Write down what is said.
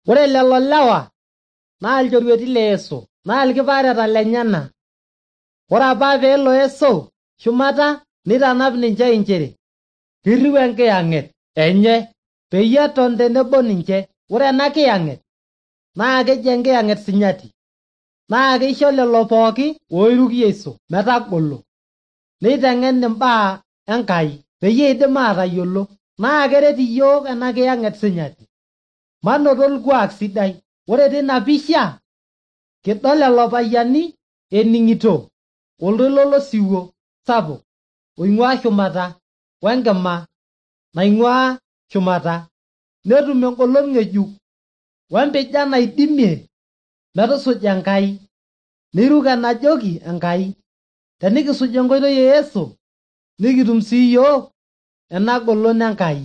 Ore lelo lewa naa ilchorueti le Yesu naa ilkipaareta lenyana. Ore apa peelo Yesu shumata nitanap ninche inchere kirriu enkiyang'et enye peyie eton tenebo ninche. Ore ena kiyang'et naa keji enkiyang'et sinyati, naa keisho lelo pooki oiruki Yesu metagolo neiteng'en imbaa Enkai peyie eidim aatayiolo. Naa keret iyiok ena kiyang'et sinyati manoto orkuak sidai. Ore tina pisha kidol lelo payiani ening'ito oltoilo losiwuo sapuk oing'ua shumata wenkima naing'ua shumata, netum engolon ng'ejuk wempijan naidimie metusuja Enkai, neiruk enajoki Enkai. Tenikisuj enkoitoi e Yesu nikitum sii yiok ena golon Enkai.